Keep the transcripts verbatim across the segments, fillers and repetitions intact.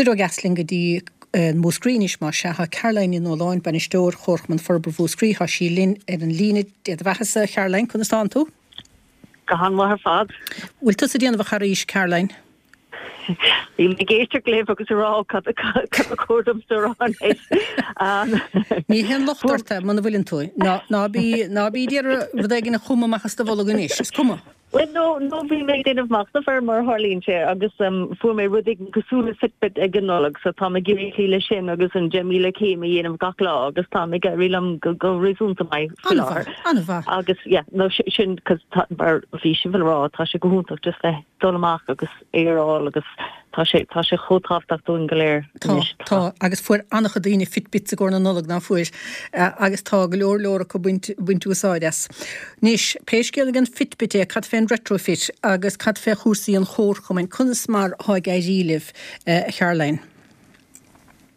Soir ó dheas linn go dtí Múscraí anois más ea. Tá Caroline Ní Nualláin, Bainisteoir Chomharchumann Forbartha Mhúscraí, tá sí linn ar an líne. Dia do bheathasa, a Charoline, conas tánn tú? Go han-mhaith ar fad. Bhfuil tusa ag déanamh a charaois, Caroline? Bhí mé ag éisteacht libh agus ag rá cad cad ba chóir domsa a rá anois. Ní haon locht ort é muna bhfuileann tú. Ná ná bí ná bí ag iarraidh rud éigin a chumadh amach as do bholg anois, is cuma. Bhuel no no bhí mé ag déanamh machnaimh air mar a tharlaíonn sé agus fuair mé rud éigin cosúil le Fitbit ag an Nollaig so táim ag iarraidh cloí leis sin agus an deich míle céim a dhéanamh gach lá agus táim ag éirí liom go go réasúnta maith faoi láthair. An-mhaith, an-mhaith. Agus yeah no sin 'cause tá mar bhí sibh ag rá tá sé go hiontach just bheith dul amach agus aer a fháil agus tá sé tá sé chomh tábhachtach dúinn go léir Tá, anois. tá, agus fuair an-chuid daoine Fitbits i gcomhair na Nollag, ná fuair? Agus tá go leor leor acu baint, baint úsáid as. Anois, pé scéal ag an Fitbit é, cad fén retrofit agus cad fé chúrsaí an chomharchumainn, conas mar thá ag éirí libh, a Charoline?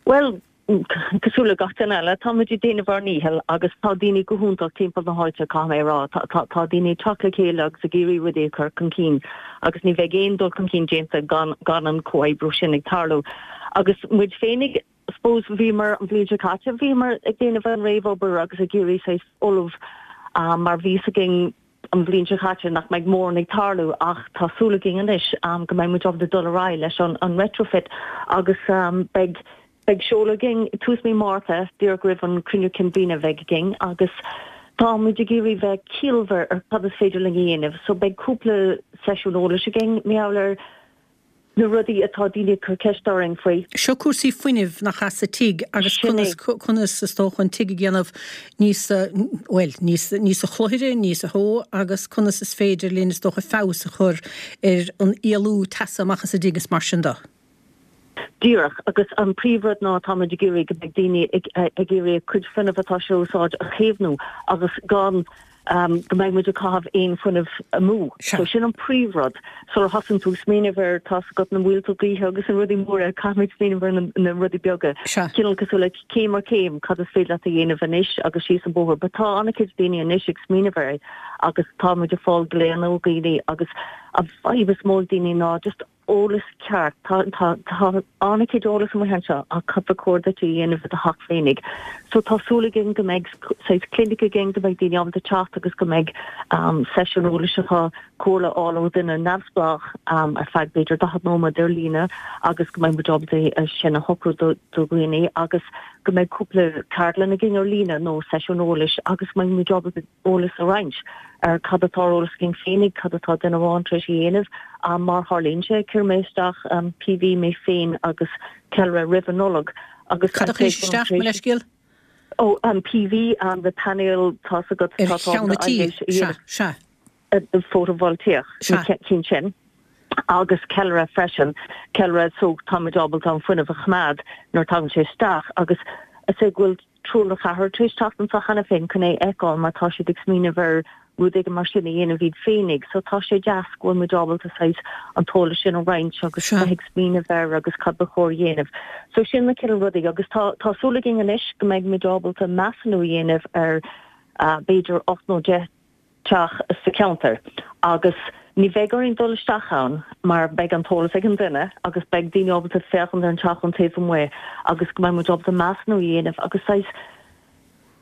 Bhuel, cosúil le gach duine eile, táimid ag déanamh ár ndícheall agus tá daoine go hiontach timpeall na háite, caithfidh mé a rá. Tá, tá daoine ag teacht le chéile agus ag iarraidh rudaí a chur chun cinn agus ní bheidh aon dul chun cinn déanta gan, gan an comhoibriú sin ag tarlú. Agus muid féinig, I suppose, bhíomar an bhliain seo caite, bhíomar ag déanamh an réamhobair agus ag iarraidh saghas ullmhú mar bhí fhios againn an bhliain seo caite nach mbeidh mórán ag tarlú ach tá súil againn anois go mbeidh muid ábalta dul ar aghaidh leis an, an retrofit agus beidh Beidh seoladh againn tús mí Márta, díreach roimh an cruinniú cinn bliana a bheidh againn agus tá muid ag iarraidh bheith ciallmhar ar cad is féidir linn a dhéanamh. So beidh cúpla seisiún eolais againn mar gheall ar na rudaí atá daoine ag cur ceist orainn faoi. Seo cúrsaí fuinnimh nach ea sa tigh agus Sin conas é. conas is dócha an tigh a dhéanamh níos bhuel níos níosa chluthire, níosa theo agus conas is féidir linn is dócha feabhas a chur ar an éalú teasa amach as an dtigh is mar sin de. Díreach, agus an príomhrud ná táimid ag iarraidh go mbeidh daoine ag ag iarraidh a cuid fuinnimh atá siad a úsáid a chaomhnú agus gan go mbeidh muid ag caitheamh aon fuinneamh amú. So sin an príomhrud. Sula thosaíonn tú ag smaoineamh ar tá's agat na muilte gaoithe agus na rudaí móra, caithfimid smaoineamh ar na na rudaí beaga. Cineál cosúil le céim ar chéim, cad is féidir leat a dhéanamh anois agus síos an bóthar. But tá an-chuid daoine anois ag smaoineamh air agus tá muid ag fáil glaonna ó dhaoine agus an fadhb is mó ag daoine ná just eolas ceart. Tá tá tá an-chuid eolas amuigh anseo ach cad ba chóir duit a dhéanamh i do theach féinig. So tá súil againn go mbeidh saghas clinic againn, go mbeidh daoine ábalta teacht agus go mbeidh um, seisiún eolais acu comhairle a fháil ó dhuine neamhspleách um, ar feadh b'fhéidir daichead nóiméad ar líne agus go mbeidh muid ábalta é sin a shocrú do do dhaoine agus go mbeidh cúpla ceardlann againn ar líne nó seisiún eolais agus go mbeidh muid ábalta eolas a roinnt ar cad atá ar eolas againn féinig, cad atá duine amháin tar éis a dhéanamh. Mar tharlaíonn sé, chuir mé isteach PV mé féin agus ceallra roimh an Nollaig agus Cad a chuiris isteach, mo leithscéal? Ó, an PV, na painéil, tá's agat, Ar cheann an tí, sea, sea. Fótavoltach, na cinn sin. Agus ceallra freisin, ceallra so táimid ábalta an fuinneamh a choimeád nuair a tagann sé isteach agus is é go bhfuil triúr nó ceathrar tar éis teacht anseo cheana féin chun é a fheiceáil mar tá siad ag smaoineamh ar rud éigin mar sin a dhéanamh iad féinig. So tá sé deas go bhfuil muid ábalta saghas an t-eolas sin a roinnt agus Sea. bheith ag smaoineamh air agus cad ba chóir a dhéanamh. So sin na cineál rudaí agus tá tá súil againn anois go mbeidh muid ábalta measúnú a dhéanamh ar b'fhéidir ocht nó deich teach sa cheantar agus ní bheidh orainn dul isteach ann mar beidh an t-eolas ag an duine agus beidh daoine ábalta féachaint ar an teach ón taobh amuigh agus go mbeidh muid ábalta measúnú a dhéanamh agus saghas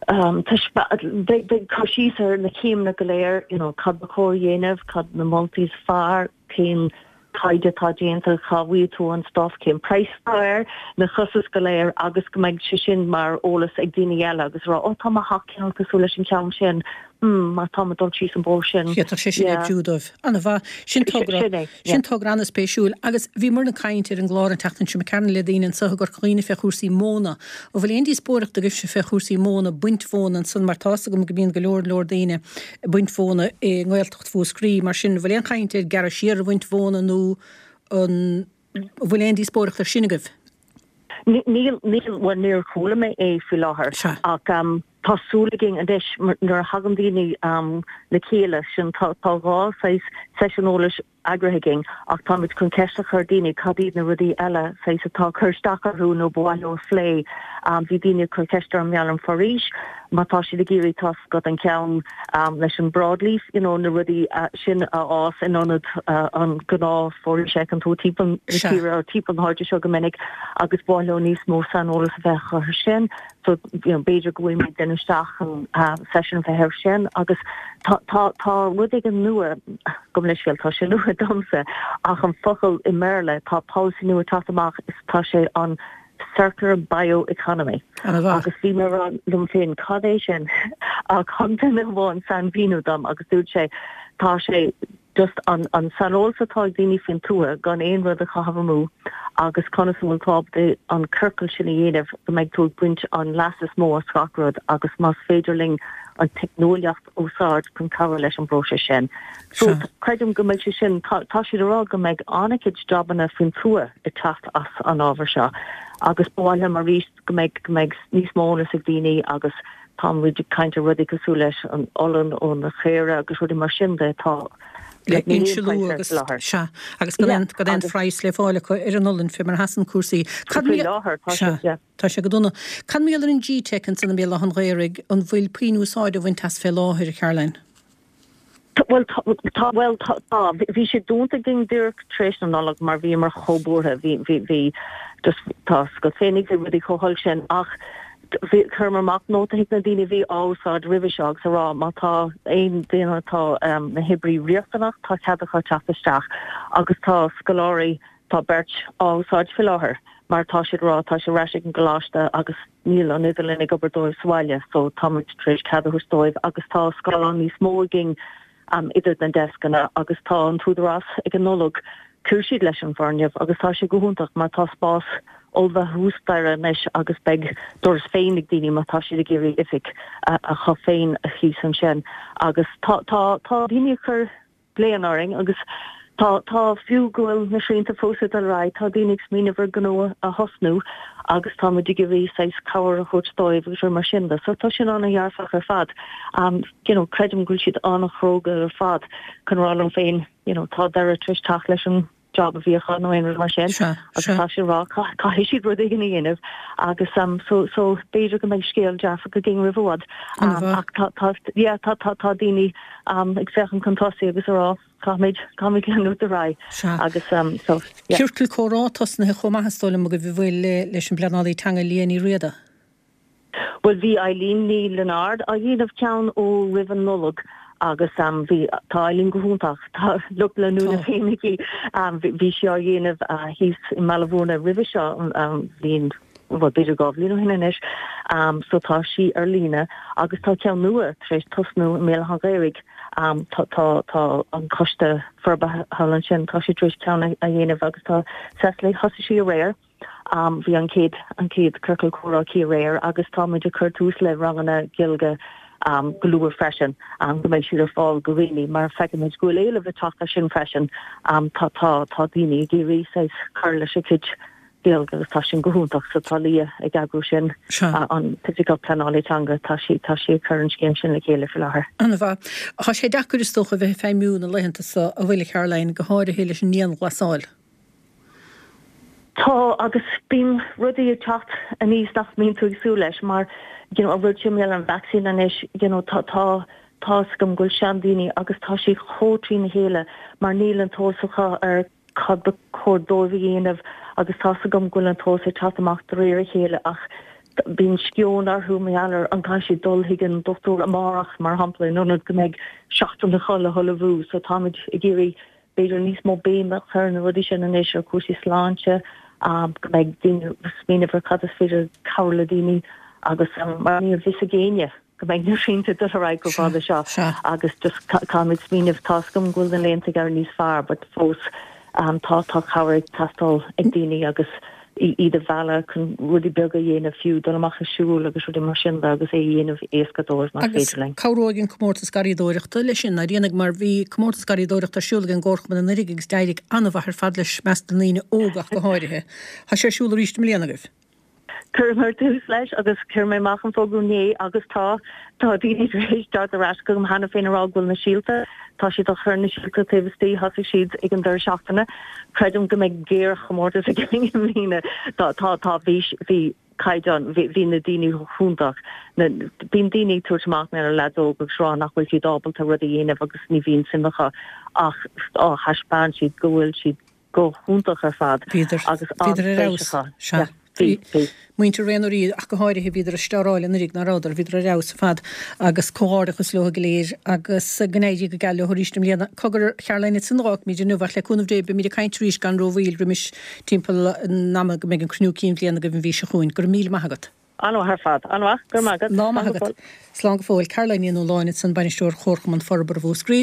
beidh beidh cur síos ar na céimeanna go léir, you know, cad ba chóir a dhéanamh, cad na moltaí is fearr, cén taighde atá déanta, cá bhfaighidh tú an stuff, cén praghas atá air, na costais go léir agus go mbeidh sé sin mar eolas ag daoine eile agus rá, oh tá mo theach cineál cosúil leis an cheann sin, hmm má tá mé ag dul síos an bóthar sin, D'fhéadfadh sé sin yeah. oibriú dóibh. An-mhaith. Sin togra, Sin é, yeah. sin togra an-spéisiúil. Agus bhíomar ag caint ar an gclár an tseachtain seo imigh tharainn le daoine anseo i gCorca Dhuibhne fé chúrsaí móna. An bhfuil aon díospóireacht agaibhse fé chúrsaí móna, baint mhóna ansan mar tá's agam go mbíonn go leor leor daoine ag baint mhóna i nGaeltacht Mhúscraí. Mar sin, an bhfuil aon chaint ar gearradh siar ar bhaint mhóna nó an bhfuil aon díospóireacht ar sin agaibh? Níl, níl, bhuel níor chuala mé é faoi láthair Sea. ach tá súil againn anois nuair a thagann daoine le chéile sin tá tá dhá saghas seisiún eolais eagraithe againn ach táimid chun ceist a chur daoine cad iad na rudaí eile saghas atá ag cur isteach orthu nó ba mhaith leo a phlé. Bhí daoine ag cur ceist orm mar gheall ar an foraois, má tá siad ag iarraidh tá 's agat an ceann leis an broadleaf, you know, na rudaí sin a fhás in ionad an gnáth foraois a fheiceann tú timpeall na tíre, timpeall na háite seo go minic agus ba mhaith leo níos mó saineolas a bheith acu ar sin. So, you know, b'fhéidir go bhfuil muid ag déanamh isteach an session bheith air sin agus tá tá tá rud éigin nua gabh mo leithscéal tá sé nua domsa ach an focal i mBéarla tá policy nua ag teacht amach is tá sé an circular bioeconomy agus bhí mé ag rá liom féin cad é sin ach thug duine amháin sainmhíniú dom agus dúirt sé tá sé just an an saineolas atá ag daoine faoin tuath gan aon rud a chaitheamh amú agus conas a bhfuil tú ábalta an ciorcal sin a dhéanamh go mbeidh tú ag baint an leas is mó as gach rud agus más féidir linn an teicneolaíocht a úsáid chun cabhrú leis an bpróiseas sin. So creidim go mbeidh sé sin, tá tá siad ag rá go mbeidh an-chuid jabanna faoin tuath ag teacht as an ábhar seo agus ba mhaith liom arís go mbeidh go mbeidh níos mó eolas ag daoine agus Tá muid ag caint ar rudaí cosúil leis an olann ó na caora agus rudaí mar sin de atá le insealú agus sea agus gan aon gan aon phraghas le fáil acu ar an olann fé mar a sheasann cúrsaí. Cad Faoi láthair tá sé sea. Tá sé go dona. Cad mar gheall ar an G-Teic ansan i mBéal Átha an Ghaorthaidh, an bhfuil puinn úsáid á bhaint as fé láthair, a Charoline? Bhuel tá, bhuel tá, tá. Bhí sé dúnta againn díreach tar éis na Nollag mar bhíomar chomh buartha, bhí, bhí, bhí just tá 's agat féinig, bhí rudaí chomh holc sin ach bhí, chuireamar amach nóta chuig na daoine a bhí á úsáid roimhe seo agus a rá má tá aon duine atá na hoibrí riachtanach tá cead acu teacht isteach agus tá scoláirí, tá beirt á úsáid faoi láthair mar tá siad ag rá tá sé ar ais ag an gcoláiste agus níl an idirlíon ag obair dóibh sa bhaile so tá muid tar éis cead a thabhairt dóibh agus tá scáileán níos mó againn idir na deascanna agus tá an t-údarás ag an Nollaig chuir siad leis an bhfoirgneamh agus tá sé go hiontach mar tá spás ollmhaith thuas staighre anois agus beidh doras féin ag daoine má tá siad ag iarraidh oifig acu féin thíos ansin agus tá tá tá daoine ag cur glaonna orainn agus tá, tá, fiú go bhfuil na srianta fós ag dul ar aghaidh, tá daoine ag smaoineamh ar gnó a thosnú agus tá muid ag iarraidh saghas cabhair a thabhairt dóibh agus rudaí mar sin de. So tá sin an-dhearfach ar fad. You know, creidim go bhfuil siad an-chróga ar fad chun rá liom féin, you know, tá deireadh tar éis teacht leis an job a bhí acu nó aon rud mar sin agus tá siad ag rá caithfidh siad rud éigin a dhéanamh agus um, so, so b'fhéidir go mbeidh scéal dearfach againn roimh i bhfad um, ach tá, tá, yeah, tá, tá, tá daoine um, ag féachaint chun tosaigh agus ag rá caithfimid caithfimid leanúint ar aghaidh agus um, so, yeah. Ciorcal comhrá tosnaithe chomh maith is dóigh liom agaibh an bhfuil le, leis an bpleanálaí teanga Liadh Ní Riada. Bhuel bhí Eileen Ní Lionáird á dhéanamh ceann ó roimh an Nollaig agus bhí, tá Eileen go hiontach, tá lucht leanúna féin aici, bhí sí á dhéanamh thíos i mBaile Mhúirne roimhe seo an bhliain, bhuel b'fhéidir dhá bhliain ó shin anois, so tá sí ar líne agus tá ceann nua tar éis tosnú i mBéal Átha an Ghaorthaidh, tá, tá, tá an coiste forbartha thall ansin, tá siad tar éis ceann a dhéanamh agus tá Cecily, thosaigh sí aréir. Bhí an chéad an chéad ciorcal comhrá aici aréir agus tá muid ag cur tús le ranganna Gaeilge go luath freisin, go mbeidh siad ar fáil go dhaoine mar feicimid go bhfuil éileamh ag teacht ar sin freisin. Tá tá tá daoine ag iarraidh saghas cur leis a gcuid Gaeilge agus tá sin go hiontach so tá Liadh ag eagrú sin, an tOifigeach Pleanála Teanga, tá sí tá sí ag cur an scéim sin le chéile faoi láthair. An-mhaith. Tá sé deacair is dócha a bheith ag feidhmiú na laethanta seo an bhfuil, a Charoline, go háirithe leis an ndianghlasáil. Tá, agus bíonn rudaí ag teacht aníos nach mbíonn tú ag súil leis, mar you know an rud sin mar gheall ar an vaccine anois, you know tá tá tá 'fhios agam go bhfuil seandaoine agus tá siad chomh trína chéile mar níl an t-eolas acu ar cad ba chóir dóibh a dhéanamh agus tá 'fhios agam go bhfuil an t-eolas ag teacht amach de réir a chéile ach bíonn sceon orthu mar gheall ar an gcaithfidh siad dul chuig an dochtúir amárach mar shampla in ionad go mbeidh seachtain acu le hullmhú so táimid ag iarraidh b'fhéidir níos mó béime a chur ar na rudaí sin anois, ar chúrsaí sláinte, go mbeidh daoine ag smaoineamh ar cad is féidir cabhrú le daoine agus mar níl a fhios ag éinne go mbeidh na srianta ag dul ar aghaidh chomh fada seo agus just caithfimid smaoineamh, tá 'fhios agam go bhfuil na laethanta ag éirí níos fearr but fós tá tá cabhair ag teastáil ag daoine agus iad a mhealladh chun rudaí beaga a dhéanamh fiú, dul amach ag siúl agus rudaí mar sin de agus é a dhéanamh éasca dóibh más Agus féidir linn. cabhróidh an comórtas garraíodóireachta leis sin, ndáiríre, mar bhí comórtas garraíodóireachta ar siúl ag an gComharchumann anuraidh agus d'éirigh an-mhaith ar fad leis, i measc na ndaoine óga ach go háirithe. Tá sé ar siúl arís i mbliana agaibh? Chuireamar tús leis agus chuir mé amach an fógra inné agus tá tá daoine tar éis teacht ar ais chugam cheana féin a rá go bhfuil na síolta, tá siad á chur na síolta taobh istigh, thosaigh siad ag an deireadh seachtaine. Creidim go mbeidh géarchomórtas againn i mbliana. Tá tá tá bhí bhí caighdeán bhí bhí na daoine iontach. Na bíonn daoine ag tabhairt amach ar na leaids óga agus rá nach bhfuil siad ábalta rud a dhéanamh agus ní bhíonn suim acu ach á thaispeáin siad go bhfuil siad go hiontach ar fad Bhíodar agus bhíodar ar an-spéis fheabhas. acu. Sea. Yeah, bhí, bhí. Muintir Réanna Rí ach go háirithe bhíodar ag stearáil anuraidh ná rabhadar, bhíodar ar fheabhas ar fad agus comhghairdeachas leo go léir agus go n-éirí go geal leo arís i mbliana. Cogar Caroline ansin a fhágfaimid inniu ach le cúnamh Dé beimid ag caint arís gan rómhoill roimis timpeall an ama go mbeidh an cruinniú cinn bhliana agaibh an mhí seo chugainn. Go raibh míle maith agat. An-mhaith ar fad. An-mhaith, go raibh maith agat. Lá maith Slán go agat. fóill. Slán go fóill. Caroline Ní Nualláin ansan bainisteoir Chomharchumann Forbartha Mhúscraí.